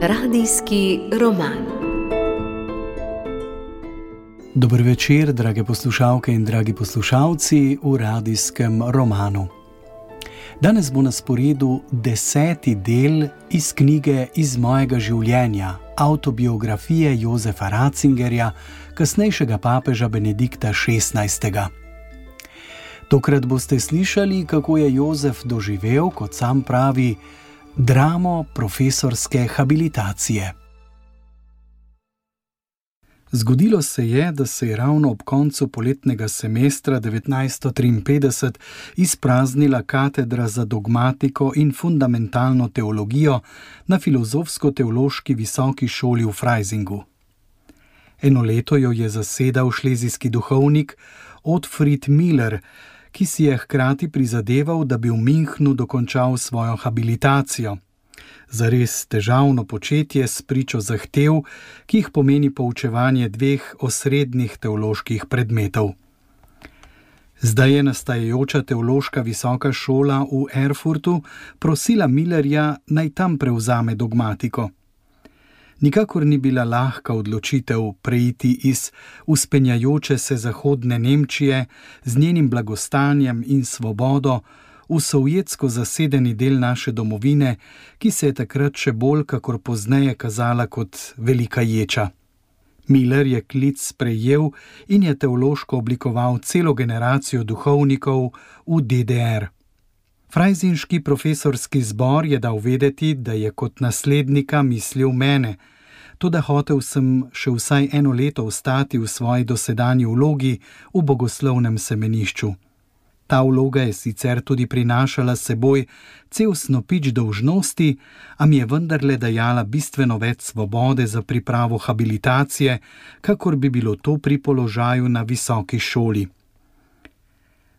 Radijski roman. Dober večer, drage poslušalke in dragi poslušalci v radijskem romanu. Danes bo na sporedu 10. del iz knjige Iz mojega življenja, avtobiografije Jozefa Ratzingerja, kasnejšega papeža Benedikta XVI. Tokrat boste slišali, kako je Jozef doživel, kot sam pravi, dramo profesorske habilitacije. Zgodilo se je, da se je ravno ob koncu poletnega semestra 1953 izpraznila katedra za dogmatiko in fundamentalno teologijo na Filozofsko-teološki visoki šoli v Freisingu. Eno leto jo je zasedal šlezijski duhovnik Otfried Miller, ki si je hkrati prizadeval, da bi v Münchnu dokončal svojo habilitacijo. Zares težavno početje s pričo zahtev, ki jih pomeni poučevanje dveh osrednjih teoloških predmetov. Zdaj je nastajajoča teološka visoka šola v Erfurtu prosila Millerja, naj tam prevzame dogmatiko. Nikakor ni bila lahka odločitev preiti iz vzpenjajoče se zahodne Nemčije z njenim blagostanjem in svobodo v sovjetsko zasedeni del naše domovine, ki se je takrat še bolj kakor pozneje kazala kot velika ječa. Miller je klic sprejel in je teološko oblikoval celo generacijo duhovnikov v DDR. Freisinški profesorski zbor je dal vedeti, da je kot naslednika mislil mene, toda hotel sem še vsaj eno leto ostati v svoji dosedanji vlogi v bogoslovnem semenišču. Ta vloga je sicer tudi prinašala s seboj cel snopič dolžnosti, a mi je vendarle dajala bistveno več svobode za pripravo habilitacije, kakor bi bilo to pri položaju na visoki šoli.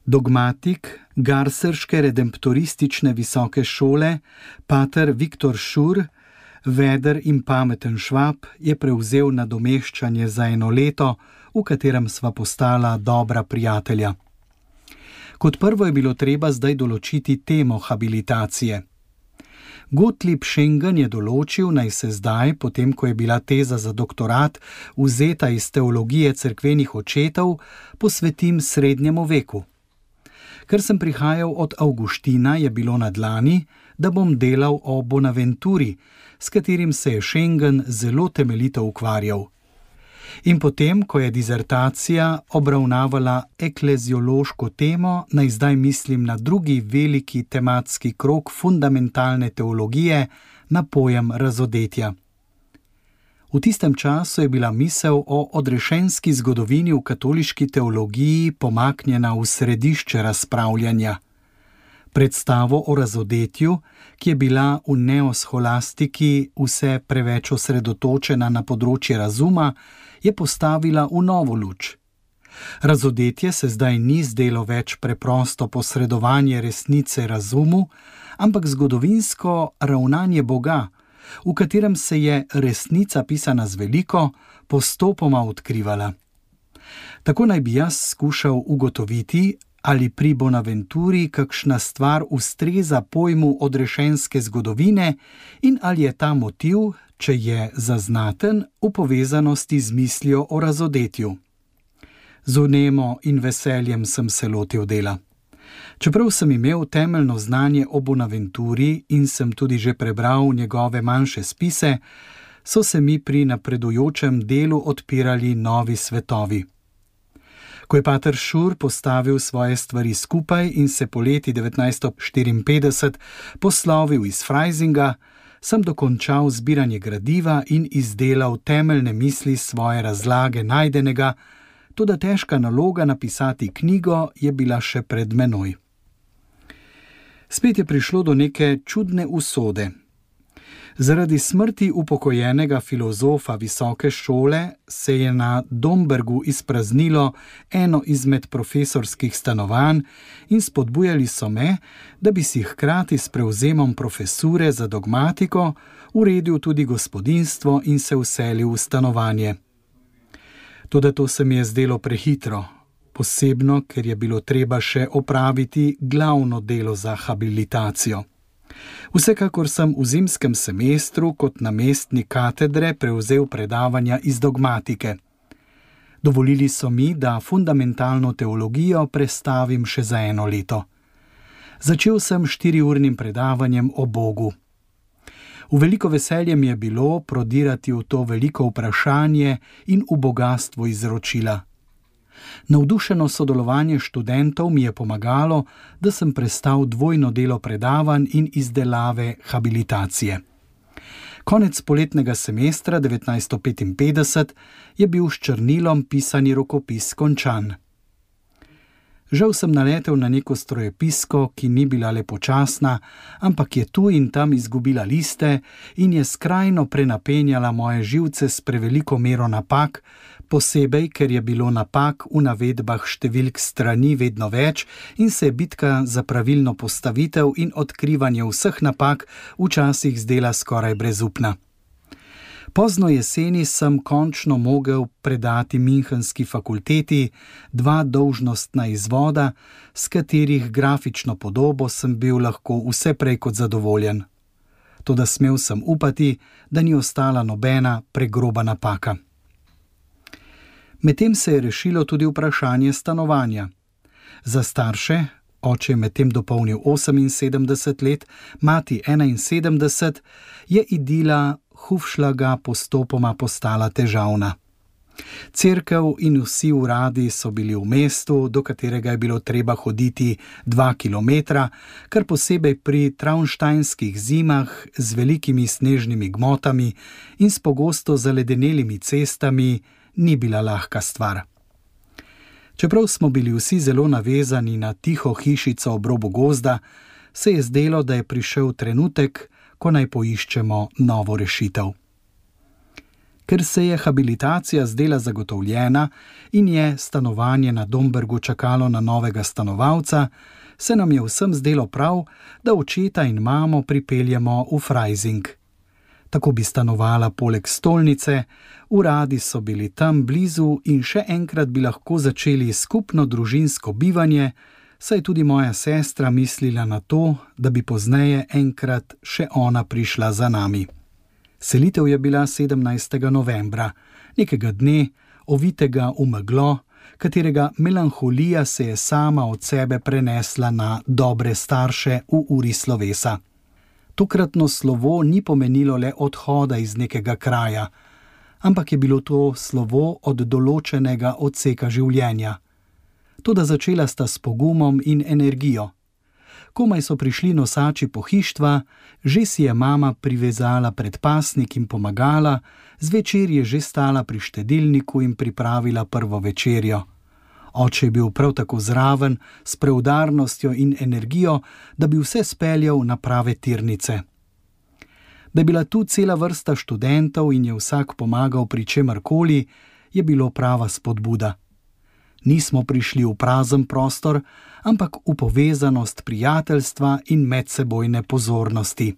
Dogmatik Garserške redemptoristične visoke šole, pater Viktor Šur, veder in pameten Švab, je prevzel nadomeščanje za eno leto, v katerem sva postala dobra prijatelja. Kot prvo je bilo treba zdaj določiti temo habilitacije. Gottlieb Schengen je določil, naj se zdaj, potem ko je bila teza za doktorat vzeta iz teologije cerkvenih očetov, posvetim srednjemu veku. Ker sem prihajal od Avguština, je bilo na dlani, da bom delal o Bonaventuri, s katerim se je Schengen zelo temeljito ukvarjal. In potem, ko je dizertacija obravnavala ekleziološko temo, naj zdaj mislim na drugi veliki tematski krog fundamentalne teologije, na pojem razodetja. V tistem času je bila misel o odrešenski zgodovini v katoliški teologiji pomaknjena v središče razpravljanja. Predstavo o razodetju, ki je bila v neosholastiki vse preveč osredotočena na področje razuma, je postavila v novo luč. Razodetje se zdaj ni zdelo več preprosto posredovanje resnice razumu, ampak zgodovinsko ravnanje Boga, v katerem se je resnica pisana z veliko postopoma odkrivala. Tako naj bi jaz skušal ugotoviti, ali pri Bonaventuri kakšna stvar ustreza pojmu odrešenske zgodovine in ali je ta motiv, če je zaznaten, v povezanosti z mislijo o razodetju. Z vnemo in veseljem sem se lotil dela. Čeprav sem imel temeljno znanje o Bonaventuri in sem tudi že prebral njegove manjše spise, so se mi pri napredujočem delu odpirali novi svetovi. Ko je pater Šur postavil svoje stvari skupaj in se poleti 1954 poslovil iz Freisinga, sem dokončal zbiranje gradiva in izdelal temeljne misli svoje razlage najdenega, toda težka naloga napisati knjigo je bila še pred menoj. Spet je prišlo do neke čudne usode. Zaradi smrti upokojenega filozofa visoke šole se je na Dombergu izpraznilo eno izmed profesorskih stanovanj in spodbujali so me, da bi si hkrati s prevzemom profesure za dogmatiko uredil tudi gospodinjstvo in se vselil v stanovanje. Toda to se mi je zdelo prehitro, posebno, ker je bilo treba še opraviti glavno delo za habilitacijo. Vsekakor sem v zimskem semestru kot namestnik katedre prevzel predavanja iz dogmatike. Dovolili so mi, da fundamentalno teologijo prestavim še za 1 leto. Začel sem 4-urnim predavanjem o Bogu. V veliko veselje mi je bilo prodirati v to veliko vprašanje in v bogastvo izročila. Navdušeno sodelovanje študentov mi je pomagalo, da sem prestal dvojno delo predavanj in izdelave habilitacije. Konec poletnega semestra 1955 je bil s črnilom pisani rokopis končan. Žal sem naletel na neko strojepisko, ki ni bila le počasna, ampak je tu in tam izgubila liste in je skrajno prenapenjala moje živce s preveliko mero napak, posebej, ker je bilo napak v navedbah številk strani vedno več in se je bitka za pravilno postavitev in odkrivanje vseh napak včasih zdela skoraj brezupna. Pozno jeseni sem končno mogel predati Münchenski fakulteti 2 dolžnostna izvoda, s katerih grafično podobo sem bil lahko vse prej kot zadovoljen. Toda smel sem upati, da ni ostala nobena pregroba napaka. Medtem se je rešilo tudi vprašanje stanovanja. Za starše, oče je medtem dopolnil 78 let, mati 71, je idila Hufšlaga postopoma postala težavna. Cerkev in vsi uradi so bili v mestu, do katerega je bilo treba hoditi 2 kilometra, kar posebej pri traunštajnskih zimah z velikimi snežnimi gmotami in s pogosto zaledenelimi cestami ni bila lahka stvar. Čeprav smo bili vsi zelo navezani na tiho hišico ob robu gozda, se je zdelo, da je prišel trenutek, ko naj poiščemo novo rešitev. Ker se je habilitacija zdela zagotovljena in je stanovanje na Dombergu čakalo na novega stanovalca, se nam je vsem zdelo prav, da očeta in mamo pripeljemo v Freising. Tako bi stanovala poleg stolnice, uradi so bili tam blizu in še enkrat bi lahko začeli skupno družinsko bivanje, saj tudi moja sestra mislila na to, da bi pozneje enkrat še ona prišla za nami. Selitev je bila 17. novembra, nekega dne, ovitega v meglo, katerega melanholija se je sama od sebe prenesla na dobre starše v uri slovesa. Tokratno slovo ni pomenilo le odhoda iz nekega kraja, ampak je bilo to slovo od določenega odseka življenja. Toda začela sta s pogumom in energijo. Komaj so prišli nosači pohištva, že si je mama privezala predpasnik in pomagala, zvečer je že stala pri štedilniku in pripravila prvo večerjo. Oče je bil prav tako zraven, s preudarnostjo in energijo, da bi vse speljal na prave tirnice. Da je bila tu cela vrsta študentov in je vsak pomagal pri čemarkoli, je bilo prava spodbuda. Nismo prišli v prazen prostor, ampak v povezanost prijateljstva in medsebojne pozornosti.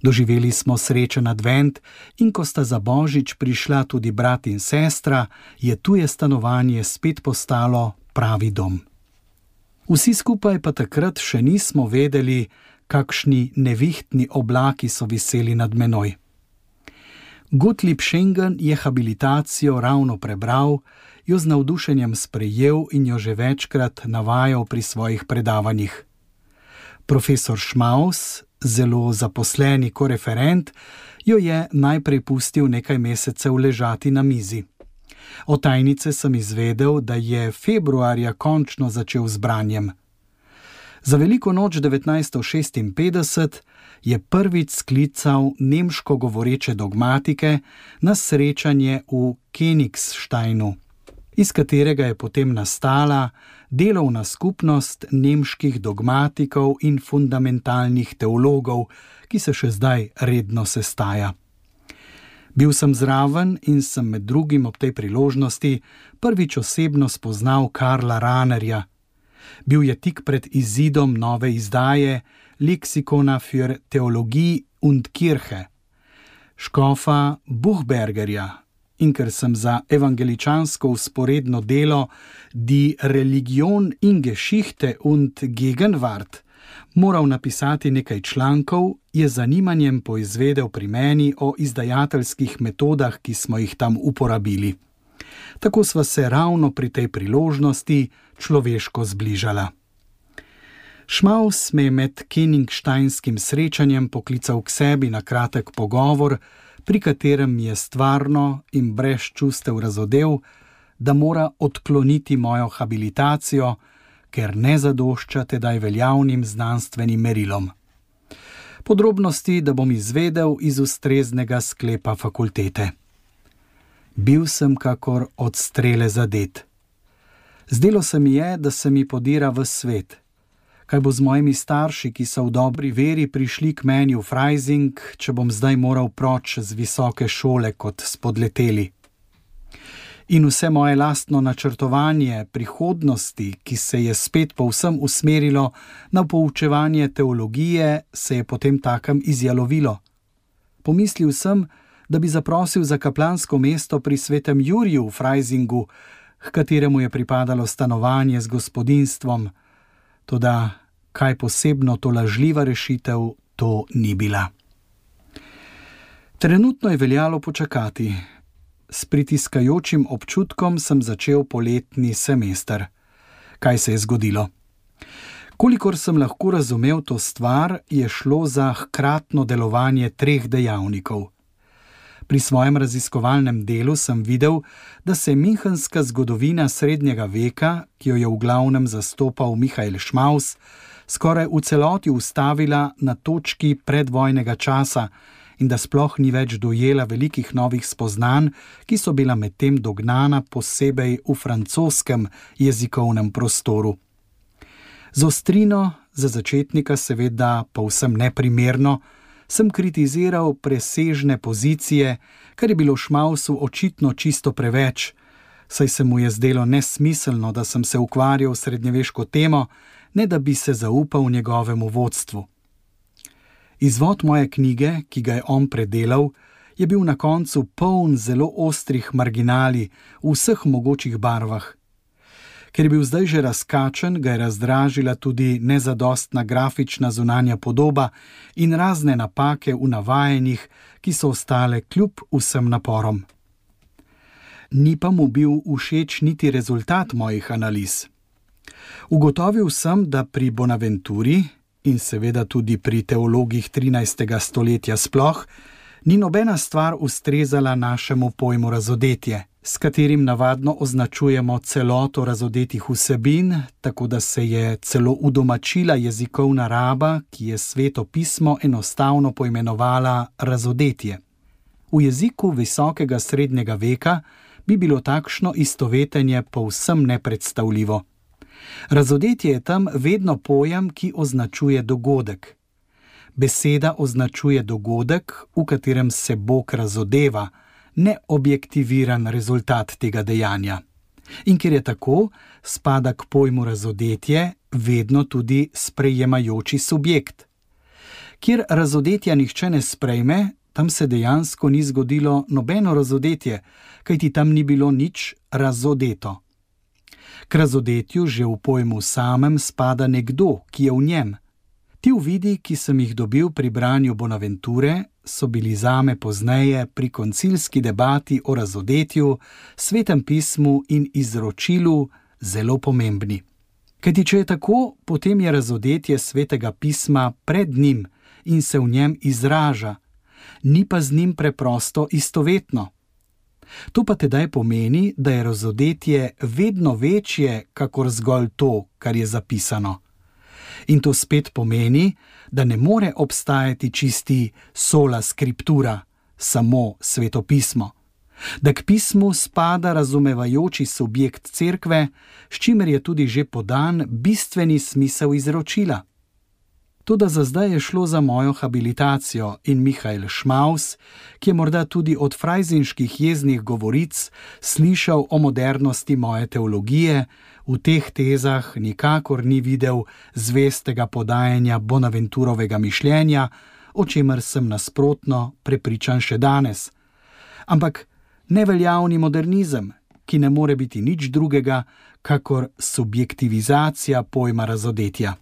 Doživeli smo srečen advent in ko sta za Božič prišla tudi brat in sestra, je tuje stanovanje spet postalo pravi dom. Vsi skupaj pa takrat še nismo vedeli, kakšni nevihtni oblaki so viseli nad menoj. Gottlieb Schengen je habilitacijo ravno prebral, jo z navdušenjem sprejel in jo že večkrat navajal pri svojih predavanjih. Profesor Schmaus, zelo zaposleni koreferent, jo je najprej pustil nekaj mesecev ležati na mizi. Od tajnice sem izvedel, da je februarja končno začel z branjem. Za veliko noč 1956 je prvič sklical nemško govoreče dogmatike na srečanje v Königsteinu, iz katerega je potem nastala delovna skupnost nemških dogmatikov in fundamentalnih teologov, ki se še zdaj redno sestaja. Bil sem zraven in sem med drugim ob tej priložnosti prvič osebno spoznal Karla Rahnerja. Bil je tik pred izidom nove izdaje Lexikona für Theologie und Kirche, škofa Buchbergerja, in ker sem za evangeličansko vzporedno delo Die Religion in Geschichte und Gegenwart Moral napisati nekaj člankov, je z zanimanjem poizvedel pri meni o izdajateljskih metodah, ki smo jih tam uporabili. Tako sva se ravno pri tej priložnosti človeško zbližala. Schmaus me je med Kenigsteinskim srečanjem poklical k sebi na kratek pogovor, pri katerem mi je stvarno in brez čustev razodel, da mora odkloniti mojo habilitacijo, ker ne zadošča tedaj veljavnim znanstvenim merilom. Podrobnosti, da bom izvedel iz ustreznega sklepa fakultete. Bil sem kakor od strele zadet. Zdelo se mi je, da se mi podira v svet. Kaj bo z mojimi starši, ki so v dobri veri prišli k meni v Freising, če bom zdaj moral proč z visoke šole kot spodleteli? In vse moje lastno načrtovanje prihodnosti, ki se je spet povsem usmerilo na poučevanje teologije, se je potem takem izjalovilo. Pomislil sem, da bi zaprosil za kaplansko mesto pri svetem Juriju v Freisingu, h kateremu je pripadalo stanovanje z gospodinjstvom, toda kaj posebno to lažljiva rešitev to ni bila. Trenutno je veljalo počakati. S pritiskajočim občutkom sem začel poletni semester. Kaj se je zgodilo? Kolikor sem lahko razumel to stvar, je šlo za hkratno delovanje 3 dejavnikov. Pri svojem raziskovalnem delu sem videl, da se münchenska zgodovina srednjega veka, ki jo je v glavnem zastopal Michael Schmaus, skoraj v celoti ustavila na točki predvojnega časa in da sploh ni več dojela velikih novih spoznanj, ki so bila medtem dognana posebej v francoskem jezikovnem prostoru. Z ostrino, za začetnika seveda povsem neprimerno, sem kritiziral presežne pozicije, kar je bilo Schmausu očitno čisto preveč, saj se mu je zdelo nesmiselno, da sem se ukvarjal s srednjeveško temo, ne da bi se zaupal njegovemu vodstvu. Izvod moje knjige, ki ga je on predelal, je bil na koncu poln zelo ostrih marginalij v vseh mogočih barvah. Ker je bil zdaj že razkačen, ga je razdražila tudi nezadostna grafična zunanja podoba in razne napake v navajanjih, ki so ostale kljub vsem naporom. Ni pa mu bil všeč niti rezultat mojih analiz. Ugotovil sem, da pri Bonaventuri in seveda tudi pri teologih 13. stoletja sploh, ni nobena stvar ustrezala našemu pojmu razodetje, s katerim navadno označujemo celoto razodetih vsebin, tako da se je celo udomačila jezikovna raba, ki je Sveto pismo enostavno poimenovala razodetje. V jeziku visokega srednjega veka bi bilo takšno istovetenje povsem nepredstavljivo. Razodetje je tam vedno pojem, ki označuje dogodek. Beseda označuje dogodek, v katerem se Bog razodeva, ne objektiviran rezultat tega dejanja. In ker je tako, spada k pojmu razodetje vedno tudi sprejemajoči subjekt. Kjer razodetja nihče ne sprejme, tam se dejansko ni zgodilo nobeno razodetje, kajti tam ni bilo nič razodeto. K razodetju že v pojmu samem spada nekdo, ki je v njem. Ti uvidi, ki sem jih dobil pri branju Bonaventure, so bili zame pozneje pri koncilski debati o razodetju, Svetem pismu in izročilu zelo pomembni. Kajti če je tako, potem je razodetje Svetega pisma pred njim in se v njem izraža, ni pa z njim preprosto istovetno. To pa tedaj pomeni, da je razodetje vedno večje, kakor zgolj to, kar je zapisano. In to spet pomeni, da ne more obstajati čisti sola scriptura, samo Sveto pismo. Da k pismu spada razumevajoči subjekt cerkve, s čimer je tudi že podan bistveni smisel izročila. Toda za zdaj je šlo za mojo habilitacijo in Michael Schmaus, ki je morda tudi od frajzinških jeznih govoric slišal o modernosti moje teologije, v teh tezah nikakor ni videl zvestega podajanja Bonaventurovega mišljenja, o čemer sem nasprotno prepričan še danes. Ampak neveljavni modernizem, ki ne more biti nič drugega, kakor subjektivizacija pojma razodetja.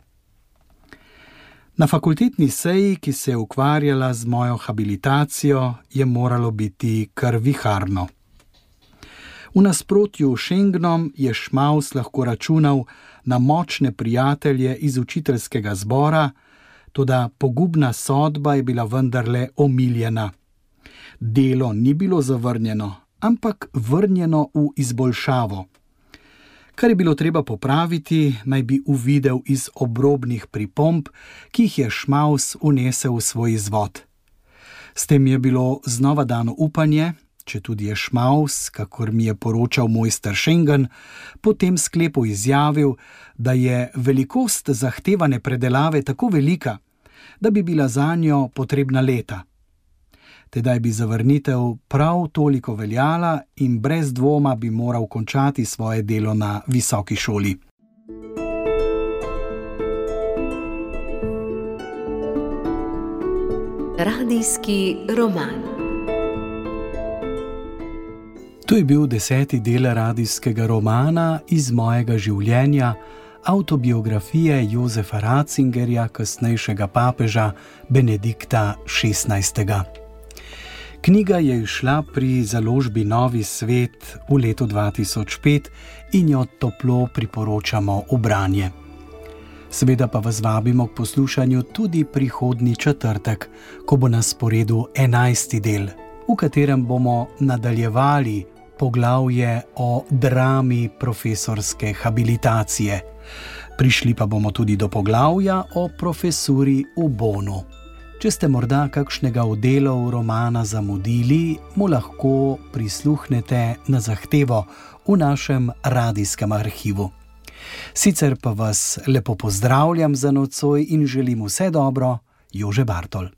Na fakultetni seji, ki se je ukvarjala z mojo habilitacijo, je moralo biti kar viharno. V nasprotju s Schengnom je Šmaus lahko računal na močne prijatelje iz učiteljskega zbora, toda pogubna sodba je bila vendarle omiljena. Delo ni bilo zavrnjeno, ampak vrnjeno v izboljšavo. Kar je bilo treba popraviti, naj bi uvidel iz obrobnih pripomb, ki jih je Šmaus vnesel v svoj izvod. S tem je bilo znova dano upanje, četudi je Šmaus, kakor mi je poročal mojster Schengen, po tem sklepu izjavil, da je velikost zahtevane predelave tako velika, da bi bila zanjo potrebna leta. Tedaj bi zavrnitev prav toliko veljala in brez dvoma bi moral končati svoje delo na visoki šoli. Radijski roman. To je bil 10. del radijskega romana iz mojega življenja, avtobiografije Josefa Ratzingerja, kasnejšega papeža Benedikta XVI. Knjiga je izšla pri založbi Novi svet v letu 2005 in jo toplo priporočamo v branje. Seveda pa vas vabimo k poslušanju tudi prihodnji četrtek, ko bo na sporedu 11. del, v katerem bomo nadaljevali poglavje o drami profesorske habilitacije. Prišli pa bomo tudi do poglavja o profesuri v Bonu. Če ste morda kakšnega od delov romana zamudili, mu lahko prisluhnete na zahtevo v našem radijskem arhivu. Sicer pa vas lepo pozdravljam za nocoj in želim vse dobro, Jože Bartol.